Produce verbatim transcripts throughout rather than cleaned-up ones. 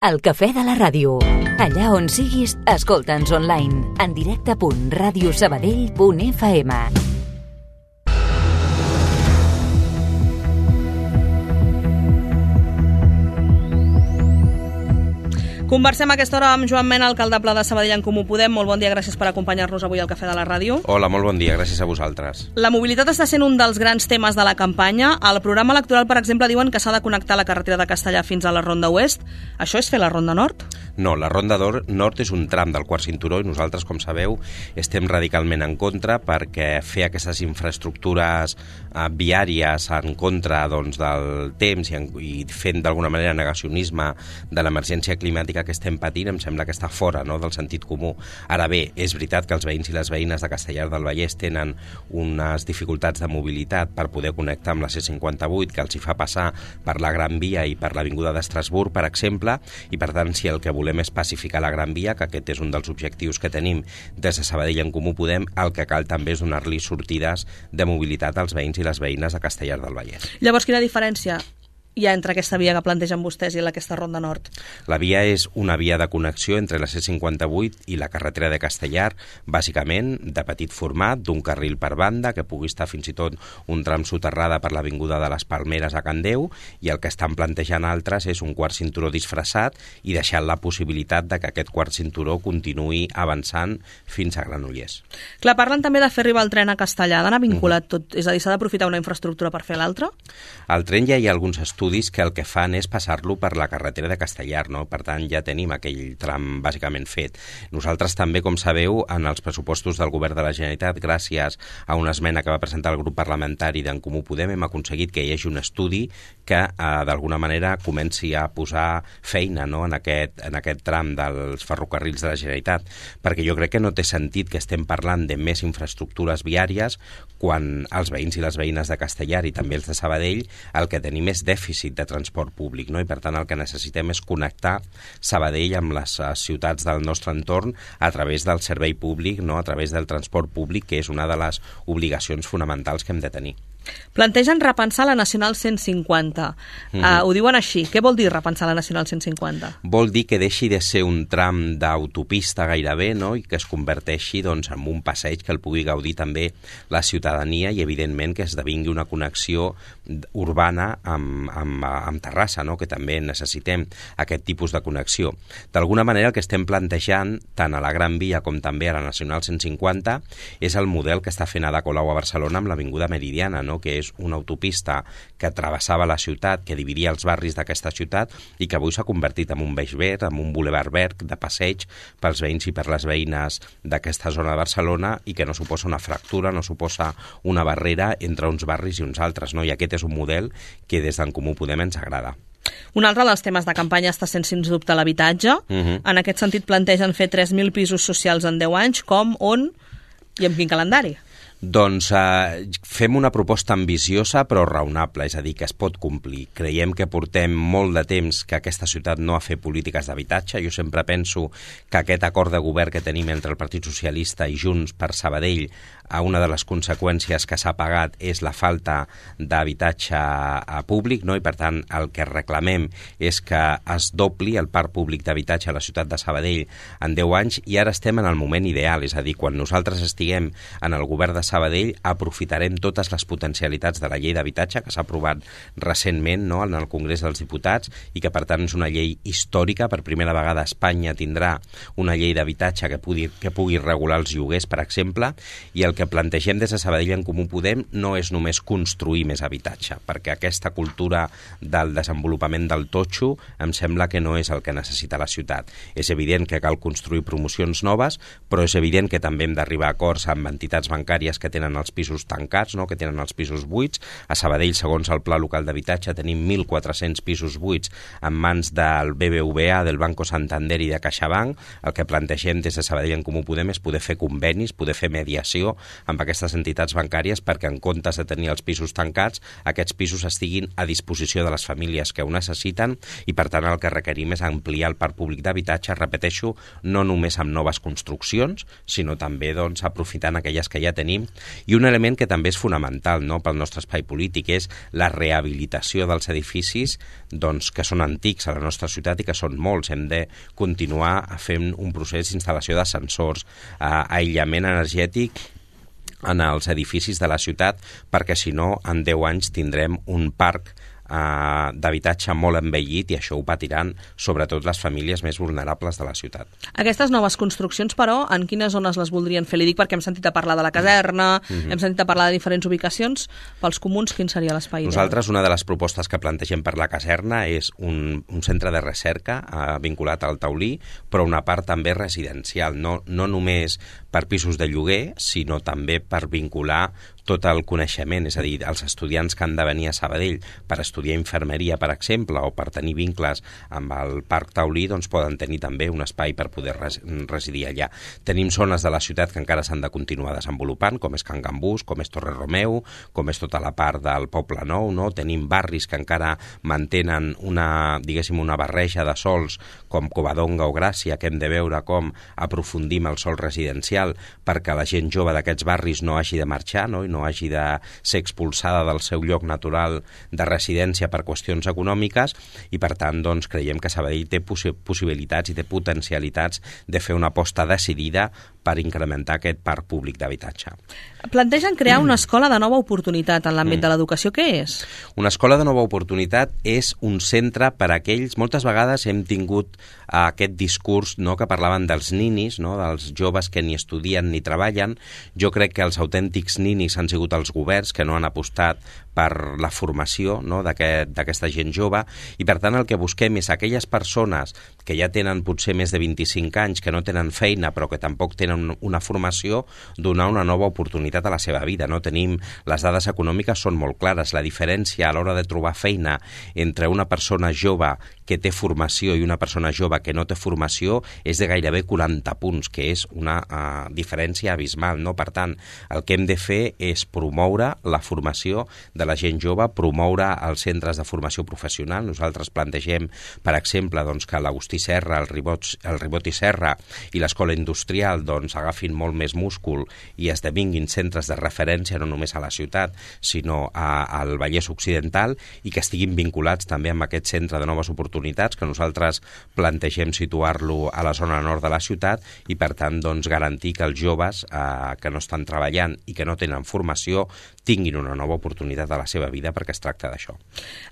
El cafè de la ràdio. Allà on siguis, escolta'ns online. En directe punt ràdio sabadell punt f m. Conversem a aquesta hora amb Joan Mena, alcalde Pla de Sabadell en Comú Podem. Molt bon dia, gràcies per acompanyar-nos avui al Cafè de la Ràdio. Hola, molt bon dia, gràcies a vosaltres. La mobilitat està sent un dels grans temes de la campanya. Al programa electoral, per exemple, diuen que s'ha de connectar la carretera de Castellar fins a la Ronda Oest. Això és fer la Ronda Nord? No, la Ronda Nord és un tram del quart cinturó i nosaltres, com sabeu, estem radicalment en contra perquè fer aquestes infraestructures eh, viàries en contra doncs, del temps i, en, i fent d'alguna manera negacionisme de l'emergència climàtica que estem patint, em sembla que està fora, no?, del sentit comú. Ara bé, és veritat que els veïns i les veïnes de Castellar del Vallès tenen unes dificultats de mobilitat per poder connectar amb la C cinquanta vuit, que els hi fa passar per la Gran Via i per l'Avinguda d'Estrasburg, per exemple, i per tant, si el que volem és pacificar la Gran Via, que aquest és un dels objectius que tenim des de Sabadell en Comú Podem, el que cal també és donar-li sortides de mobilitat als veïns i les veïnes de Castellar del Vallès. Llavors, quina diferència hi ha entre aquesta via que plantegen vostès i aquesta Ronda Nord? La via és una via de connexió entre la C cinquanta vuit i la carretera de Castellar, bàsicament de petit format, d'un carril per banda, que pugui estar fins i tot un tram soterrada per l'Avinguda de les Palmeres a Can Déu, i el que estan plantejant altres és un quart cinturó disfressat i deixant la possibilitat de que aquest quart cinturó continuï avançant fins a Granollers. Clar, parlen també de fer arribar el tren a Castellar, d'anar vinculat tot, és a dir, s'ha d'aprofitar una infraestructura per fer l'altra? Al tren ja hi ha alguns estudis que el que fan és passar-lo per la carretera de Castellar, no? Per tant, ja tenim aquell tram bàsicament fet. Nosaltres també, com sabeu, en els pressupostos del Govern de la Generalitat, gràcies a una esmena que va presentar el grup parlamentari d'en Comú Podem, hem aconseguit que hi hagi un estudi que, eh, d'alguna manera, comenci a posar feina, no?, en aquest, en aquest tram dels ferrocarrils de la Generalitat, perquè jo crec que no té sentit que estem parlant de més infraestructures viàries quan els veïns i les veïnes de Castellar i també els de Sabadell el que tenim és dèficit de transport públic, no? I per tant el que necessitem és connectar Sabadell amb les ciutats del nostre entorn a través del servei públic, no?, a través del transport públic, que és una de les obligacions fonamentals que hem de tenir. Plantegen repensar la Nacional cent cinquanta. Mm-hmm. uh, ho diuen així. Què vol dir repensar la Nacional cent cinquanta? Vol dir que deixi de ser un tram d'autopista gairebé, no?, i que es converteixi doncs, en un passeig que el pugui gaudir també la ciutadania i, evidentment, que esdevingui una connexió urbana amb, amb, amb Terrassa, no?, que també necessitem aquest tipus de connexió. D'alguna manera, el que estem plantejant, tant a la Gran Via com també a la Nacional cent cinquanta, és el model que està fent Ada Colau a Barcelona amb l'Avinguda Meridiana, no?, que és una autopista que travessava la ciutat, que dividia els barris d'aquesta ciutat i que avui s'ha convertit en un beix verd, en un bulevard verd de passeig pels veïns i per les veïnes d'aquesta zona de Barcelona i que no suposa una fractura, no suposa una barrera entre uns barris i uns altres, no? I aquest és un model que des d'en Comú Podem ens agrada. Un altre dels temes de campanya està sent, sens dubte, l'habitatge. Uh-huh. En aquest sentit plantegen fer tres mil pisos socials en deu anys. Com, on i amb quin calendari? Doncs eh, fem una proposta ambiciosa però raonable, és a dir, que es pot complir. Creiem que portem molt de temps que aquesta ciutat no ha fet polítiques d'habitatge. Jo sempre penso que aquest acord de govern que tenim entre el Partit Socialista i Junts per Sabadell, a una de les conseqüències que s'ha pagat és la falta d'habitatge públic, no? I per tant el que reclamem és que es dobli el parc públic d'habitatge a la ciutat de Sabadell en deu anys i ara estem en el moment ideal, és a dir, quan nosaltres estiguem en el govern de Sabadell aprofitarem totes les potencialitats de la llei d'habitatge que s'ha aprovat recentment, no?, en el Congrés dels Diputats i que per tant és una llei històrica. Per primera vegada Espanya tindrà una llei d'habitatge que pugui, que pugui regular els lloguers, per exemple, i el que plantegem des de Sabadell en Comú Podem no és només construir més habitatge, perquè aquesta cultura del desenvolupament del totxo em sembla que no és el que necessita la ciutat. És evident que cal construir promocions noves, però és evident que també hem d'arribar a acords amb entitats bancàries que tenen els pisos tancats, no?, que tenen els pisos buits. A Sabadell, segons el Pla Local d'Habitatge, tenim mil quatre-cents pisos buits en mans del B B V A, del Banco Santander i de CaixaBank. El que plantegem des de Sabadell en Comú Podem és poder fer convenis, poder fer mediació amb aquestes entitats bancàries perquè en comptes de tenir els pisos tancats, aquests pisos estiguin a disposició de les famílies que ho necessiten i per tant el que requerim és ampliar el parc públic d'habitatge, repeteixo, no només amb noves construccions, sinó també doncs, aprofitant aquelles que ja tenim I un element que també és fonamental, no?, pel nostre espai polític és la rehabilitació dels edificis doncs, que són antics a la nostra ciutat i que són molts. Hem de continuar fent un procés d'instal·lació d'ascensors, eh, aïllament energètic en els edificis de la ciutat, perquè si no, en deu anys tindrem un parc Uh, d'habitatge molt envellit i això ho patiran sobretot les famílies més vulnerables de la ciutat. Aquestes noves construccions, però, en quines zones les voldrien fer? Li dic perquè hem sentit a parlar de la caserna, mm-hmm. hem sentit a parlar de diferents ubicacions. Pels comuns, quin seria l'espai? Nosaltres, una de les propostes que plantegem per la caserna és un, un centre de recerca uh, vinculat al Taulí, però una part també residencial, no, no només per pisos de lloguer, sinó també per vincular tot el coneixement, és a dir, els estudiants que han de venir a Sabadell per estudiar infermeria, per exemple, o per tenir vincles amb el Parc Taulí, doncs poden tenir també un espai per poder res residir allà. Tenim zones de la ciutat que encara s'han de continuar desenvolupant, com és Can Gambús, com és Torre Romeu, com és tota la part del Poble Nou, no? Tenim barris que encara mantenen una, diguéssim, una barreja de sols, com Covadonga o Gràcia, que hem de veure com aprofundim el sòl residencial perquè la gent jove d'aquests barris no hagi de marxar, no? I no hagi de ser expulsada del seu lloc natural de residència per qüestions econòmiques i, per tant, doncs, creiem que Sabadell té possi possibilitats i té potencialitats de fer una aposta decidida per incrementar aquest parc públic d'habitatge. Plantegen crear una escola de nova oportunitat en l'àmbit mm. de l'educació. Què és? Una escola de nova oportunitat és un centre per a aquells... Moltes vegades hem tingut aquest discurs, no?, que parlaven dels ninis, no?, dels joves que ni estudien ni treballen. Jo crec que els autèntics ninis han sigut els governs que no han apostat per la formació, no?, d'aquesta aquest, gent jove, i per tant el que busquem és aquelles persones que ja tenen potser més de vint-i-cinc anys, que no tenen feina però que tampoc tenen una formació, donar una nova oportunitat a la seva vida. No tenim, les dades econòmiques són molt clares. La diferència a l'hora de trobar feina entre una persona jove que té formació i una persona jove que no té formació és de gairebé quaranta punts, que és una uh, diferència abismal, no? Per tant, el que hem de fer és promoure la formació de la gent jove, promoure els centres de formació professional. Nosaltres plantegem, per exemple, doncs, que l'Agustí Serra, el Ribot, el Ribot i Serra i l'Escola Industrial doncs, agafin molt més múscul i esdevinguin centres de referència no només a la ciutat, sinó a, al Vallès Occidental, i que estiguin vinculats també amb aquest centre de noves oportunitats, que nosaltres plantegem situar-lo a la zona nord de la ciutat i, per tant, doncs, garantir que els joves eh, que no estan treballant i que no tenen formació tinguin una nova oportunitat a la seva vida, perquè es tracta d'això.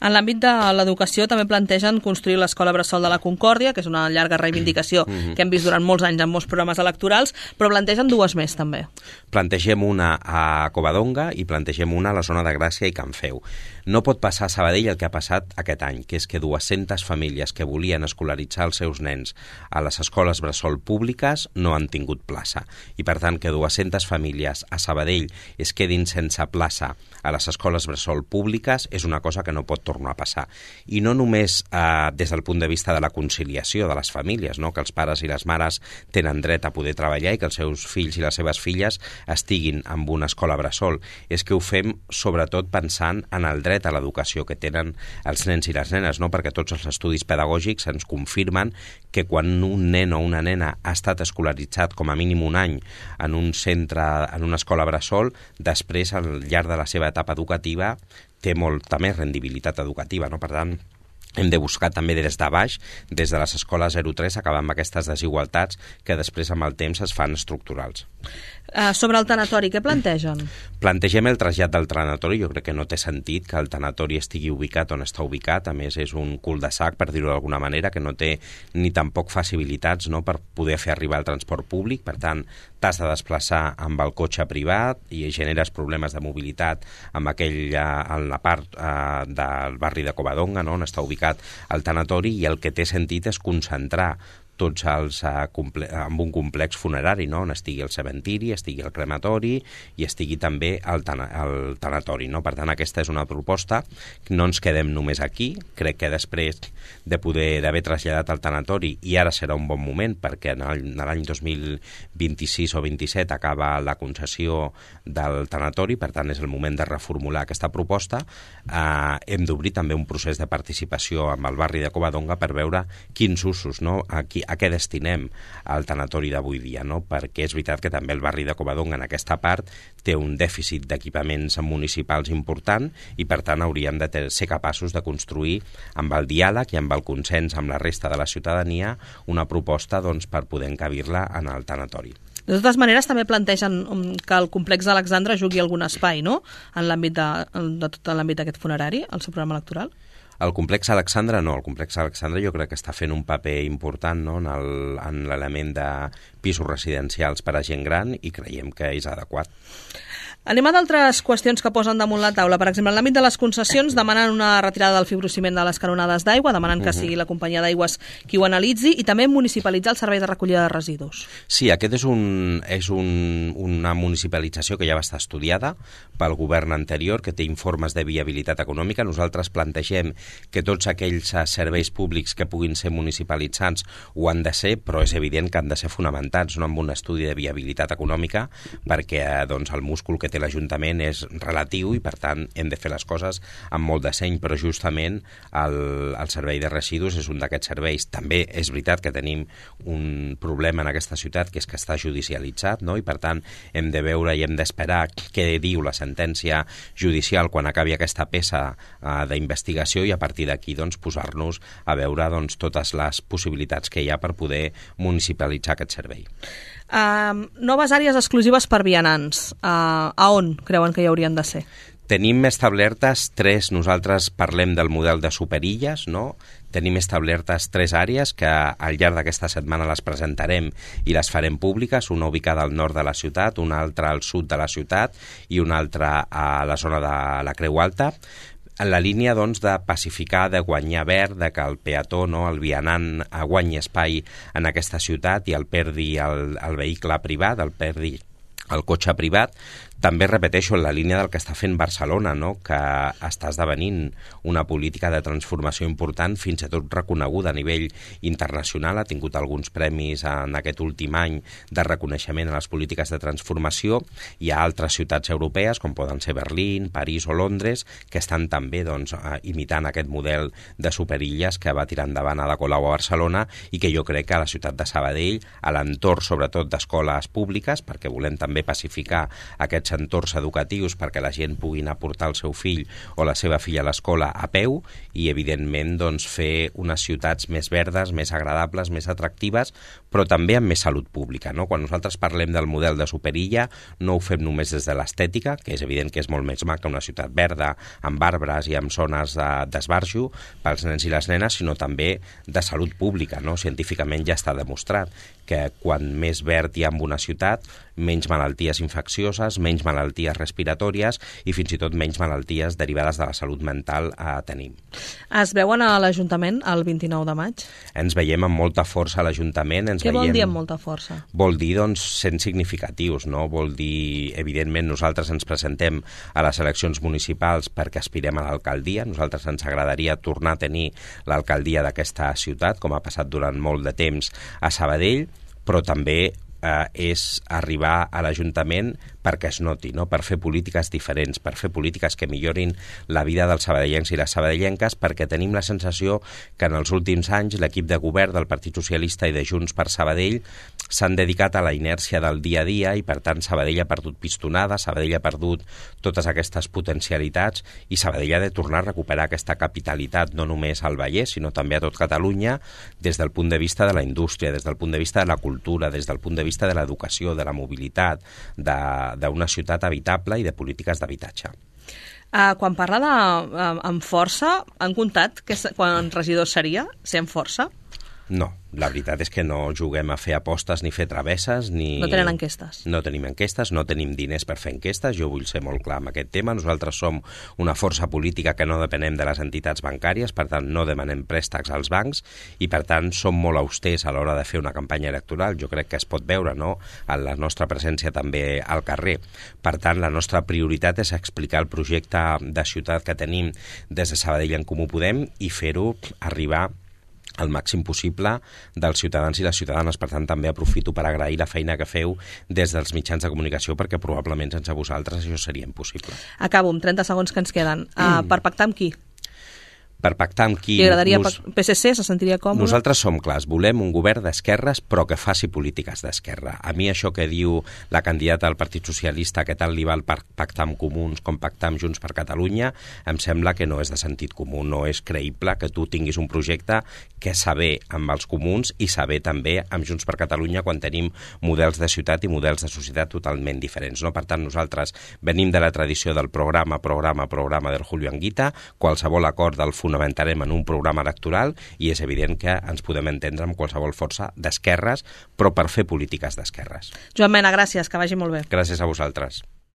En l'àmbit de l'educació també plantegen construir l'Escola Bressol de la Concòrdia, que és una llarga reivindicació mm-hmm. que hem vist durant molts anys en molts programes electorals, però plantegen dues més també. Plantegem una a Covadonga i plantegem una a la zona de Gràcia i Can Feu. No pot passar a Sabadell el que ha passat aquest any, que és que dues-centes famílies que volien escolaritzar els seus nens a les escoles bressol públiques no han tingut plaça. I, per tant, que dues-centes famílies a Sabadell es quedin sense plaça a les escoles bressol públiques és una cosa que no pot tornar a passar. I no només eh, des del punt de vista de la conciliació de les famílies, no? Que els pares i les mares tenen dret a poder treballar i que els seus fills i les seves filles estiguin en una escola bressol. És que ho fem sobretot pensant en el dret a l'educació que tenen els nens i les nenes, no? Perquè tots els estudis pedagògics ens confirmen que quan un nen o una nena ha estat escolaritzat com a mínim un any en un centre, en una escola bressol, després, al llarg de la seva etapa educativa, té molta més rendibilitat educativa, no? Per tant, hem de buscar també des de baix, des de les escoles zero tres, acabar amb aquestes desigualtats que després amb el temps es fan estructurals. Uh, sobre el tanatori, què plantegen? Plantegem el trasllat del tanatori. Jo crec que no té sentit que el tanatori estigui ubicat on està ubicat. A més, és un cul de sac, per dir-ho d'alguna manera, que no té ni tampoc facilitats, no?, per poder fer arribar el transport públic. Per tant, t'has de desplaçar amb el cotxe privat i generes problemes de mobilitat amb aquella, en la part eh, del barri de Covadonga, no?, on està ubicat el tanatori, i el que té sentit és concentrar tots els uh, amb un complex funerari, no?, on estigui el cementiri, estigui el crematori i estigui també el, tana el tanatori, no? Per tant, aquesta és una proposta. No ens quedem només aquí. Crec que després de poder d'haver traslladat el tanatori, i ara serà un bon moment, perquè en l'any dos mil vint-i-sis o vint-i-set acaba la concessió del tanatori, per tant és el moment de reformular aquesta proposta. Uh, hem d'obrir també un procés de participació amb el barri de Covadonga per veure quins usos, no?, aquí a què destinem el tanatori d'avui dia, no? Perquè és veritat que també el barri de Covadonga en aquesta part té un dèficit d'equipaments municipals important i per tant hauríem de ser capaços de construir amb el diàleg i amb el consens amb la resta de la ciutadania una proposta doncs, per poder encabir-la en el tanatori. De totes maneres, també plantegen que el complex d'Alexandra jugui algun espai, no?, en l'àmbit de, de tot l'àmbit d'aquest funerari, al seu programa electoral. El complex Alexandra no, el complex Alexandra jo crec que està fent un paper important, no?, en l'element de pisos residencials per a gent gran i creiem que és adequat. Anem a d'altres qüestions que posen damunt la taula. Per exemple, en l'àmbit de les concessions demanen una retirada del fibrociment de les canonades d'aigua, demanen que sigui la companyia d'aigües qui ho analitzi i també municipalitzar el servei de recollida de residus. Sí, aquest és, un, és un, una municipalització que ja va estar estudiada pel govern anterior, que té informes de viabilitat econòmica. Nosaltres plantegem que tots aquells serveis públics que puguin ser municipalitzats ho han de ser, però és evident que han de ser fonamentats, no, amb un estudi de viabilitat econòmica, perquè doncs, el múscul que té l'Ajuntament és relatiu i per tant hem de fer les coses amb molt de seny, però justament el, el servei de residus és un d'aquests serveis. També és veritat que tenim un problema en aquesta ciutat que és que està judicialitzat, no? I per tant hem de veure i hem d'esperar què diu la sentència judicial quan acabi aquesta peça uh, d'investigació i a partir d'aquí doncs, posar-nos a veure doncs, totes les possibilitats que hi ha per poder municipalitzar aquest servei. Uh, noves àrees exclusives per vianants. Uh, a on creuen que hi haurien de ser? Tenim establertes tres, nosaltres parlem del model de superilles, no? Tenim establertes tres àrees que al llarg d'aquesta setmana les presentarem i les farem públiques, una ubicada al nord de la ciutat, una altra al sud de la ciutat i una altra a la zona de la Creu Alta, en la línia doncs, de pacificar, de guanyar verd, de que el peató, no, el vianant, guanyi espai en aquesta ciutat i el perdi el, el vehicle privat, el perdi el cotxe privat. També repeteixo en la línia del que està fent Barcelona, no? Que està esdevenint una política de transformació important, fins i tot reconeguda a nivell internacional, ha tingut alguns premis en aquest últim any de reconeixement a les polítiques de transformació. Hi ha altres ciutats europees, com poden ser Berlín, París o Londres, que estan també doncs, imitant aquest model de superilles que va tirar endavant Ada Colau a Barcelona i que jo crec que a la ciutat de Sabadell, a l'entorn sobretot d'escoles públiques, perquè volem també pacificar aquests entorns educatius perquè la gent pugui anar a portar el seu fill o la seva filla a l'escola a peu i, evidentment, doncs, fer unes ciutats més verdes, més agradables, més atractives, però també amb més salut pública, no? Quan nosaltres parlem del model de superilla, no ho fem només des de l'estètica, que és evident que és molt més maca una ciutat verda, amb arbres i amb zones d'esbarjo pels nens i les nenes, sinó també de salut pública, no? Científicament ja està demostrat que quan més verd hi ha en una ciutat, menys malalties infeccioses, menys malalties respiratòries i fins i tot menys malalties derivades de la salut mental eh, tenim. Es veuen a l'Ajuntament el vint-i-nou de maig? Ens veiem amb molta força a l'Ajuntament. Ens Què veiem... vol dir amb molta força? Vol dir, doncs, sent significatius, no? Vol dir, evidentment, nosaltres ens presentem a les eleccions municipals perquè aspirem a l'alcaldia. Nosaltres ens agradaria tornar a tenir l'alcaldia d'aquesta ciutat, com ha passat durant molt de temps a Sabadell, però també eh, és arribar a l'Ajuntament perquè es noti, no? Per fer polítiques diferents, per fer polítiques que millorin la vida dels sabadellencs i les sabadellenques, perquè tenim la sensació que en els últims anys l'equip de govern del Partit Socialista i de Junts per Sabadell s'han dedicat a la inèrcia del dia a dia i, per tant, Sabadell ha perdut pistonada, Sabadell ha perdut totes aquestes potencialitats i Sabadell ha de tornar a recuperar aquesta capitalitat, no només al Vallès, sinó també a tot Catalunya, des del punt de vista de la indústria, des del punt de vista de la cultura, des del punt de vista de l'educació, de la mobilitat, de d'una ciutat habitable i de polítiques d'habitatge. Uh, quan parla de, uh, amb força, han comptat que quan regidor seria, ser amb força? No, la veritat és que no juguem a fer apostes ni fer travesses ni... No tenen enquestes? No tenim enquestes, no tenim diners per fer enquestes, jo vull ser molt clar amb aquest tema. Nosaltres som una força política que no depenem de les entitats bancàries, per tant no demanem préstecs als bancs i per tant som molt austers a l'hora de fer una campanya electoral. Jo crec que es pot veure, no?, en la nostra presència també al carrer. Per tant, la nostra prioritat és explicar el projecte de ciutat que tenim des de Sabadell en Comú Podem i fer-ho arribar el màxim possible dels ciutadans i les ciutadanes. Per tant, també aprofito per agrair la feina que feu des dels mitjans de comunicació, perquè probablement sense vosaltres això seria impossible. Acabo, amb trenta segons que ens queden. Uh, mm. Per pactar amb qui? per pactar amb qui... Li agradaria nos... P S C, se sentiria còmode? Nosaltres som clars, volem un govern d'esquerres però que faci polítiques d'esquerra. A mi això que diu la candidata del Partit Socialista, que tal li val per pactar amb Comuns com pactar amb Junts per Catalunya, em sembla que no és de sentit comú, no és creïble que tu tinguis un projecte que saber amb els Comuns i saber també amb Junts per Catalunya quan tenim models de ciutat i models de societat totalment diferents. No? Per tant, nosaltres venim de la tradició del programa, programa, programa del Julio Anguita, qualsevol acord del fonamentarem en un programa electoral i és evident que ens podem entendre amb qualsevol força d'esquerres, però per fer polítiques d'esquerres. Joan Mena, gràcies, que vagi molt bé. Gràcies a vosaltres.